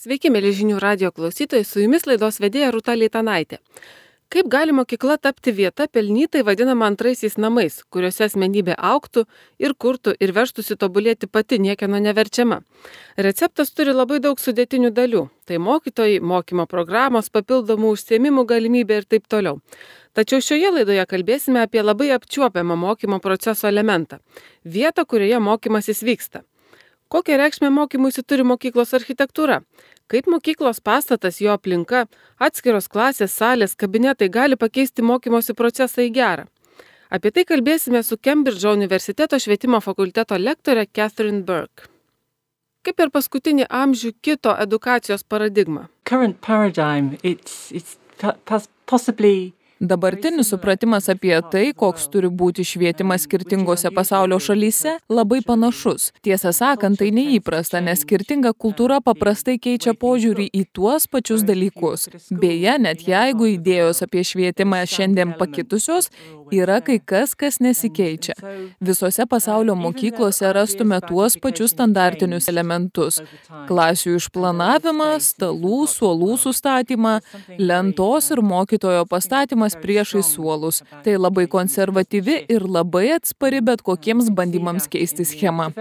Sveiki, mėly žinių radijo klausytojai, su jumis laidos vedėja Rūta Leitanaitė. Kaip gali mokykla tapti vieta pelnytai vadinama antraisiais namais, kuriuose asmenybė augtų ir kurtų ir veržtųsi tobulėti pati niekieno neverčiama? Receptas turi labai daug sudėtinių dalių. Tai mokytojai, mokymo programos, papildomų užsiėmimų galimybė ir taip toliau. Tačiau šioje laidoje kalbėsime apie labai apčiuopiamą mokymo proceso elementą – vietą, kurioje mokymasis vyksta. Kokią reikšmę mokymuisi turi mokyklos architektūra? Kaip mokyklos pastatas, jo aplinka, atskiros klasės, salės, kabinetai gali pakeisti mokymosi procesą į gerą? Apie tai kalbėsime su Kembridžo universiteto švietimo fakulteto lektore Catherine Burke. Kaip per paskutinį amžių kito edukacijos paradigma? Current paradigm, it's possibly Dabartinis supratimas apie tai, koks turi būti švietimas skirtingose pasaulio šalyse, labai panašus. Tiesą sakant, tai neįprasta, nes skirtinga kultūra paprastai keičia požiūrį į tuos pačius dalykus. Beje, net jeigu idėjos apie švietimą šiandien pakitusios, yra kai kas nesikeičia. Visose pasaulio mokyklose rastume tuos pačius standartinius elementus. Klasių išplanavimą, stalų, suolų sustatymą, lentos ir mokytojo pastatymas priešai suolus. Tai labai konservatyvi ir labai atspari bet kokiems bandymams keisti schemą.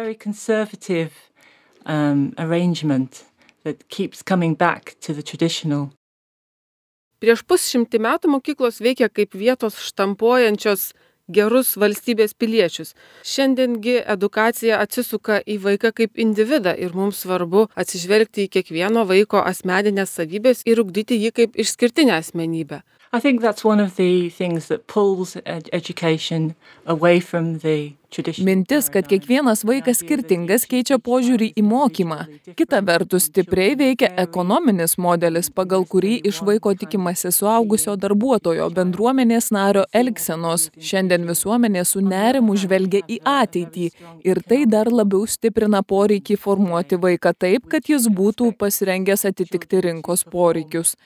Prieš pusšimtį metų mokyklos veikia kaip vietos štampuojančios gerus valstybės piliečius. Šiandiengi edukacija atsisuka į vaiką kaip individą ir mums svarbu atsižvelgti į kiekvieno vaiko asmeninės savybės ir ugdyti jį kaip išskirtinę asmenybę. I think that's one of the things that pulls education away from the traditional. Mintis, kad kiekvienas vaikas skirtingas, keičia požiūrį į mokymą. Kita vertus, stipriai veikia ekonominis modelis, pagal kurį iš vaiko tikimasi suaugusio darbuotojo bendruomenės nario elgsenos. Šiandien visuomenė su nerimu žvelgia į ateitį ir tai dar labiau stiprina poreikį formuoti vaiką taip, kad jis būtų pasirengęs atitikti rinkos poreikius.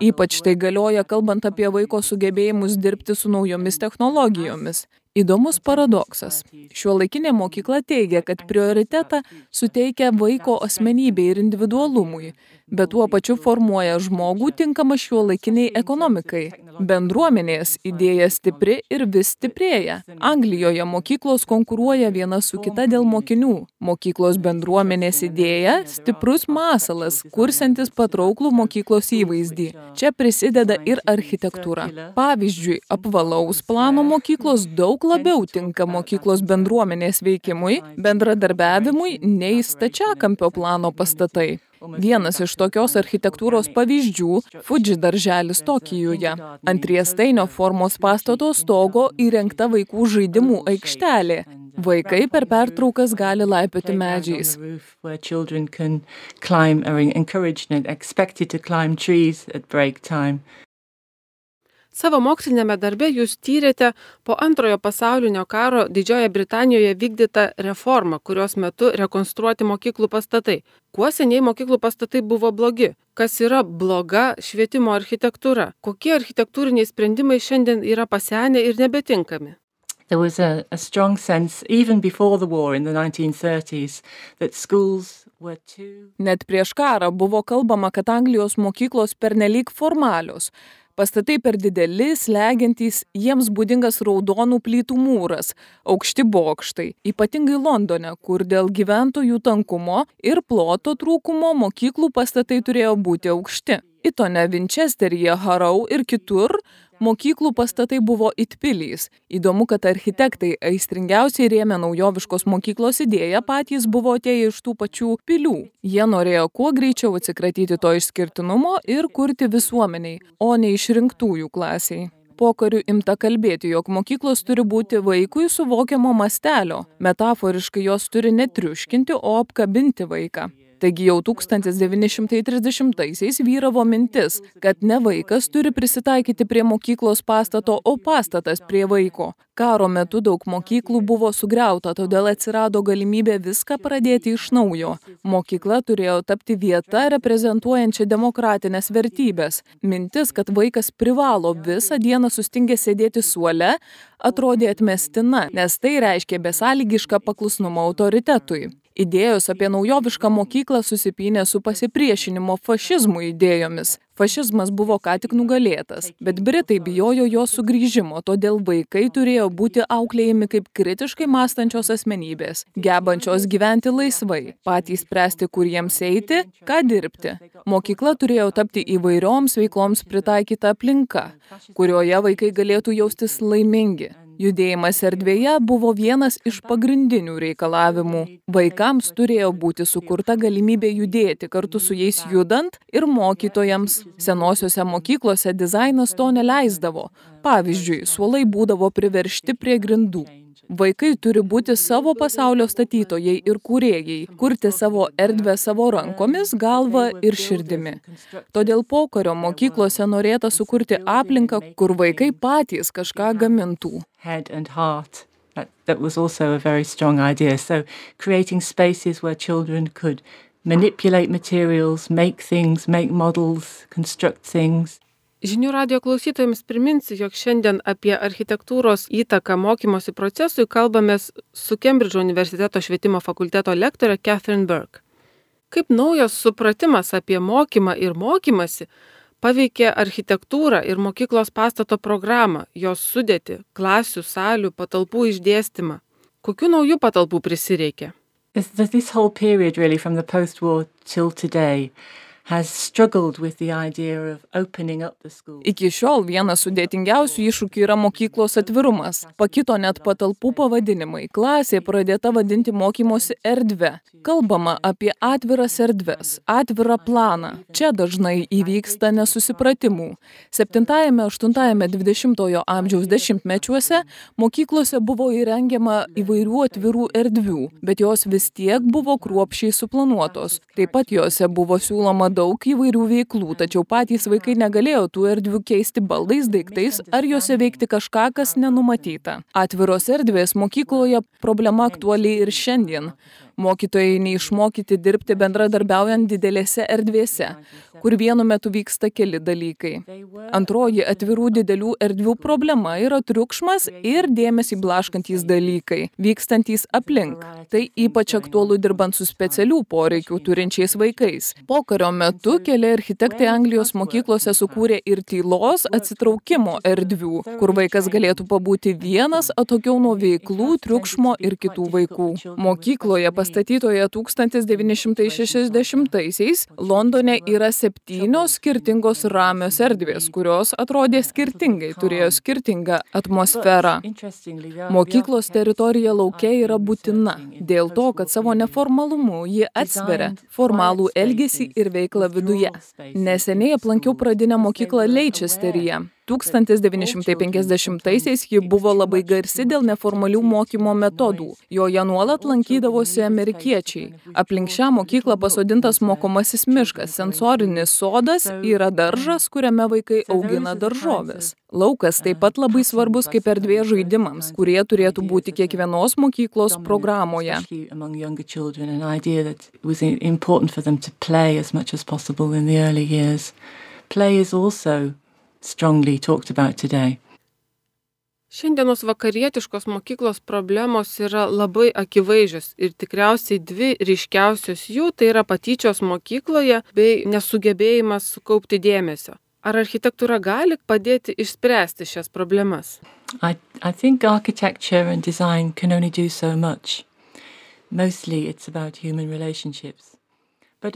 Ypač tai galioja kalbant apie vaiko sugebėjimus dirbti su naujomis technologijomis. Įdomus paradoksas. Šiuolaikinė mokykla teigia, kad prioritetą suteikia vaiko asmenybei ir individualumui, bet tuo pačiu formuoja žmogų tinkamą šiuolaikiniai ekonomikai. Bendruomenės idėja stipri ir vis stiprėja. Anglijoje mokyklos konkuruoja viena su kita dėl mokinių. Mokyklos bendruomenės idėja – stiprus masalas, kursiantis patrauklų mokyklos įvaizdį. Čia prisideda ir architektūra. Pavyzdžiui, apvalaus plano mokyklos daug labiau tinka mokyklos bendruomenės veikimui, bendradarbiavimui nei stačiakampio plano pastatai. Vienas iš tokios architektūros pavyzdžių – Fuji darželis Tokijuje. Ant riestainio formos pastato stogo įrengta vaikų žaidimų aikštelė. Vaikai per pertraukas gali laipioti medžiais. Savo mokslinėme darbe jūs tyrėte po Antrojo pasaulinio karo Didžiojoje Britanijoje vykdytą reformą, kurios metu rekonstruoti mokyklų pastatai. Kuo seniai mokyklų pastatai buvo blogi? Kas yra bloga švietimo architektūra? Kokie architektūriniai sprendimai šiandien yra pasenę ir nebetinkami? There was a strong sense, even before the war in the 1930s, that schools were too... Net prieš karą buvo kalbama, kad Anglijos mokyklos pernelyg formalios. Pastatai per dideli, slegiantys, jiems būdingas raudonų plytų mūras, aukšti bokštai, ypatingai Londone, kur dėl gyventojų tankumo ir ploto trūkumo mokyklų pastatai turėjo būti aukšti. Itone, Vinčesteryje, Harrow ir kitur mokyklų pastatai buvo it pilys. Įdomu, kad architektai aistringiausiai rėmė naujoviškos mokyklos idėją, patys buvo atėję iš tų pačių pilių. Jie norėjo kuo greičiau atsikratyti to išskirtinumo ir kurti visuomeniai, o ne išrinktųjų klasiai. Pokariu imta kalbėti, jog mokyklos turi būti vaikui suvokiamo mastelio. Metaforiškai jos turi ne triuškinti, o apkabinti vaiką. Taigi jau 1930-aisiais vyravo mintis, kad ne vaikas turi prisitaikyti prie mokyklos pastato, o pastatas prie vaiko. Karo metu daug mokyklų buvo sugriauta, todėl atsirado galimybė viską pradėti iš naujo. Mokykla turėjo tapti vieta reprezentuojančia demokratinės vertybės. Mintis, kad vaikas privalo visą dieną sustingęs sėdėti suole, atrodė atmestina, nes tai reiškia besąlygišką paklusnumą autoritetui. Idėjos apie naujovišką mokyklą susipynė su pasipriešinimo fašizmui idėjomis. Fašizmas buvo ką tik nugalėtas, bet Britai bijojo jo sugrįžimo, todėl vaikai turėjo būti auklėjami kaip kritiškai mąstančios asmenybės, gebančios gyventi laisvai, patys spręsti, kur jiems eiti, ką dirbti. Mokykla turėjo tapti įvairioms veikloms pritaikyta aplinka, kurioje vaikai galėtų jaustis laimingi. Judėjimas erdvėje buvo vienas iš pagrindinių reikalavimų. Vaikams turėjo būti sukurta galimybė judėti kartu su jais judant ir mokytojams. Senosiose mokyklose dizainas to neleisdavo. Pavyzdžiui, suolai būdavo priveržti prie grindų. Vaikai turi būti savo pasaulio statytojai ir kūrėjai, kurti savo erdvę savo rankomis, galva ir širdimi. Todėl pokario mokyklose norėta sukurti aplinką, kur vaikai patys kažką gamintų. Head and heart. That was also a very strong idea. So creating spaces where children could manipulate materials, make things, make models, construct things. Žinių radijo klausytojams priminsiu, jog šiandien apie architektūros įtaką mokymosi procesui kalbamės su Kembridžo universiteto švietimo fakulteto lektore Catherine Burke. Kaip naujas supratimas apie mokymą ir mokymasi paveikė architektūrą ir mokyklos pastato programą, jos sudėtį, klasių, salių, patalpų išdėstymą? Kokių naujų patalpų prisireikė? This whole period really from the post-war till today has struggled with the idea of opening up the school. Iki šiol vienas sudėtingiausių iššūkių yra mokyklos atvirumas. Pakito net patalpų pavadinimai. Klasė pradėta vadinti mokymosi erdve. Kalbama apie atviras erdves, atvirą planą. Čia dažnai įvyksta nesusipratimų. 7-8 20-ojo amžiaus dešimtmečiuose mokyklose buvo įrengiama įvairių atvirų erdvių, bet jos vis tiek buvo kruopščiai suplanuotos. Taip pat jose buvo siūloma daug įvairių veiklų, tačiau patys vaikai negalėjo tų erdvių keisti baldais, daiktais ar jose veikti kažką, kas nenumatyta. Atviros erdvės mokykloje problema aktuali ir šiandien. Mokytojai neišmokyti dirbti bendradarbiaujant didelėse erdvėse, kur vienu metu vyksta keli dalykai. Antroji atvirų didelių erdvių problema yra triukšmas ir dėmesį blaškantys dalykai, vykstantys aplink. Tai ypač aktualu dirbant su specialių poreikių turinčiais vaikais. Pokario metu keli architektai Anglijos mokyklose sukūrė ir tylos atsitraukimo erdvių, kur vaikas galėtų pabūti vienas atokiau nuo veiklų, triukšmo ir kitų vaikų. Mokykloje pastatytoje 1960-aisiais Londone yra 7 skirtingos ramios erdvės, kurios atrodė skirtingai, turėjo skirtingą atmosferą. Mokyklos teritorija lauke yra būtina, dėl to, kad savo neformalumu ji atsveria formalų elgesį ir veiklą viduje. Neseniai aplankiau pradinę mokyklą Leicesteryje. 1950-aisiais ji buvo labai garsi dėl neformalių mokymo metodų. Joje nuolat lankydavosi amerikiečiai. Aplink šią mokyklą pasodintas mokomasis miškas, sensorinis sodas yra daržas, kuriame vaikai augina daržoves. Laukas taip pat labai svarbus kaip erdvė žaidimams, kurie turėtų būti kiekvienos mokyklos programoje. Strongly talked about today. Šiandienos vakarietiškos mokyklos problemos yra labai akivaizdžios ir tikriausiai 2 ryškiausios jų tai yra patyčios mokykloje bei nesugebėjimas sukaupti dėmesio. Ar architektūra gali padėti išspręsti šias problemas? I think architecture and design can only do so much. Mostly it's about human relationships.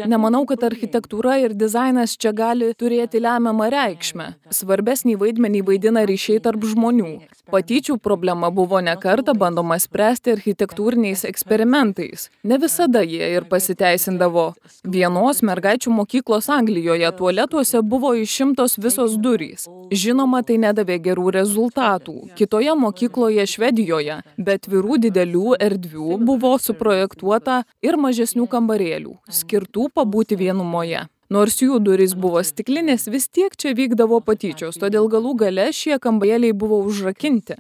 Nemanau, kad architektūra ir dizainas čia gali turėti lemiamą reikšmę. Svarbesnį vaidmenį vaidina ryšiai tarp žmonių. Patyčių problema buvo ne kartą bandoma spręsti architektūriniais eksperimentais. Ne visada jie ir pasiteisindavo. Vienos mergaičių mokyklos Anglijoje tualetuose buvo išimtos visos durys. Žinoma, tai nedavė gerų rezultatų. Kitoje mokykloje Švedijoje, bet atvirų didelių erdvių buvo suprojektuota ir mažesnių kambarėlių, skirtų pabūti vienumoje. Nors jų durys buvo stiklinės, vis tiek čia vykdavo patyčios, todėl galų gale šie kambarėliai buvo užrakinti.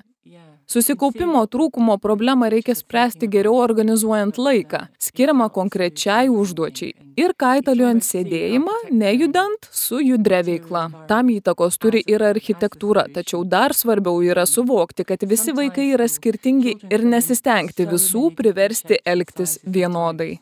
Susikaupimo trūkumo problemą reikia spręsti geriau organizuojant laiką, skiriamą konkrečiai užduočiai ir kaitaliojant sėdėjimą, nejudant su judria veikla. Tam įtakos turi ir architektūra, tačiau dar svarbiau yra suvokti, kad visi vaikai yra skirtingi ir nesistengti visų priversti elgtis vienodai.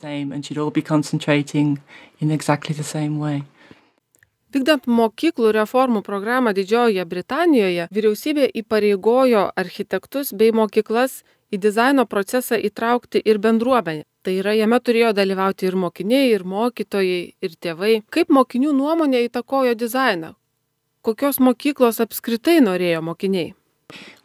Vykdant mokyklų reformų programą Didžiojoje Britanijoje, vyriausybė įpareigojo architektus bei mokyklas į dizaino procesą įtraukti ir bendruomenę. Tai yra, jame turėjo dalyvauti ir mokiniai, ir mokytojai, ir tėvai. Kaip mokinių nuomonė įtakojo dizainą? Kokios mokyklos apskritai norėjo mokiniai?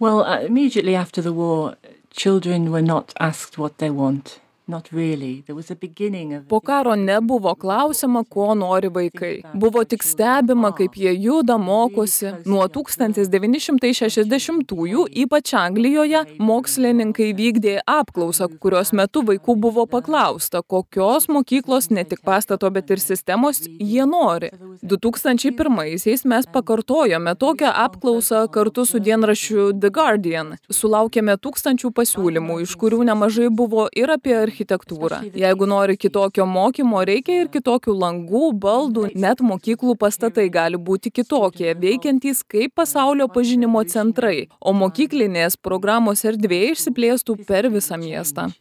Well, immediately after the war, children were not asked what they want. Not really. There was a beginning of... Po karo nebuvo klausima, ko nori vaikai. Buvo tik stebima, kaip jie juda, mokosi. Nuo 1960-ųjų, ypač Anglijoje, mokslininkai vykdė apklausą, kurios metu vaikų buvo paklausta, kokios mokyklos ne tik pastato, bet ir sistemos jie nori. 2001-aisiais mes pakartojome tokią apklausą kartu su dienraščiu The Guardian. Sulaukėme 1000 pasiūlymų, iš kurių nemažai buvo ir apie architektūrą. Jeigu nori kitokio mokymo, reikia ir kitokių langų, baldų, net mokyklų pastatai gali būti kitokie, veikiantys kaip pasaulio pažinimo centrai, o mokyklinės programos erdvė išsiplėstų per visą miestą.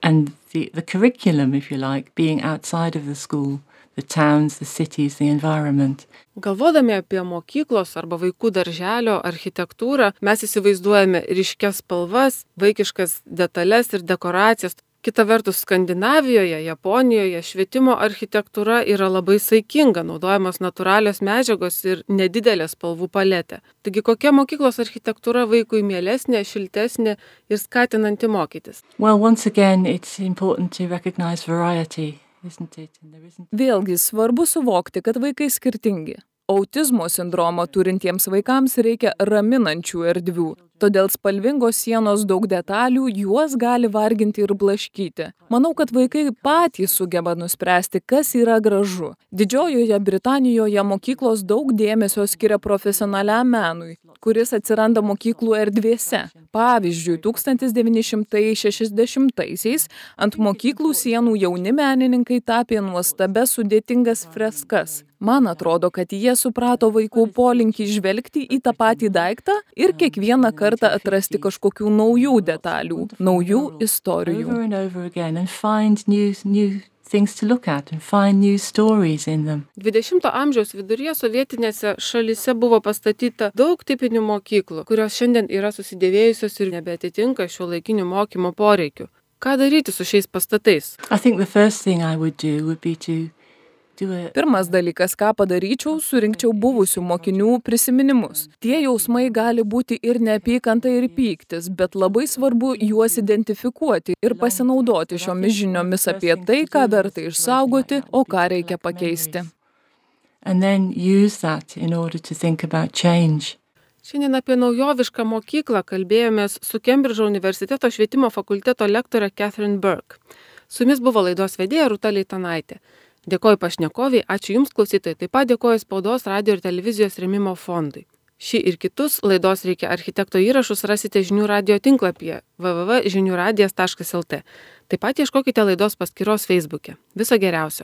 And the curriculum, if you like, being outside of the school, the towns, the cities, the environment. Galvodami apie mokyklos arba vaikų darželio architektūrą, mes įsivaizduojame ryškias spalvas, vaikiškas detalės ir dekoracijas. Kita vertus, Skandinavijoje, Japonijoje švietimo architektūra yra labai saikinga, naudojamos natūralios medžiagos ir nedidelė spalvų paletė. Taigi kokia mokyklos architektūra vaikui mielesnė, šiltesnė ir skatinanti mokytis? Well, once again, it's important to recognize variety, isn't it? Vėlgi svarbu suvokti, kad vaikai skirtingi. Autizmo sindromą turintiems vaikams reikia raminančių erdvių. Todėl spalvingos sienos daug detalių, juos gali varginti ir blaškyti. Manau, kad vaikai patys sugeba nuspręsti, kas yra gražu. Didžiojoje Britanijoje mokyklos daug dėmesio skiria profesionaliam menui, kuris atsiranda mokyklų erdvėse. Pavyzdžiui, 1960-aisiais ant mokyklų sienų jauni menininkai tapė nuostabias sudėtingas freskas. Man atrodo, kad jie suprato vaikų polinkį žvelgti į tą patį daiktą ir kiekvieną kartą atrasti kažkokių naujų detalių, naujų istorijų. Over and over again and find new things to look at and find new stories in them. 20-ojo amžiaus viduryje sovietinėse šalyse buvo pastatyta daug tipinių mokyklų, kurios šiandien yra susidėvėjusios ir nebeatitinka šiuolaikinių mokymo poreikių. Ką daryti su šiais pastatais? I think the first thing I would do would be to Pirmas dalykas, ką padaryčiau, surinkčiau buvusių mokinių prisiminimus. Tie jausmai gali būti ir neapykanta, ir pyktis, bet labai svarbu juos identifikuoti ir pasinaudoti šiomis žiniomis apie tai, ką verta išsaugoti, o ką reikia pakeisti. And then use that in order to think about change. Šiandien apie naujovišką mokyklą kalbėjomės su Kembridžo universiteto švietimo fakulteto lektore Catherine Burke. Su jumis buvo laidos vedėja Rūta Leitanaitė. Dėkoju pašnekoviai, ačiū Jums klausytojai, taip pat dėkoju Spaudos, radio ir televizijos rėmimo fondui. Šį ir kitus laidos Reikia architekto įrašus rasite Žinių radijo tinklapyje www.žiniuradijas.lt. Taip pat ieškokite laidos paskyros Facebook'e. Viso geriausio.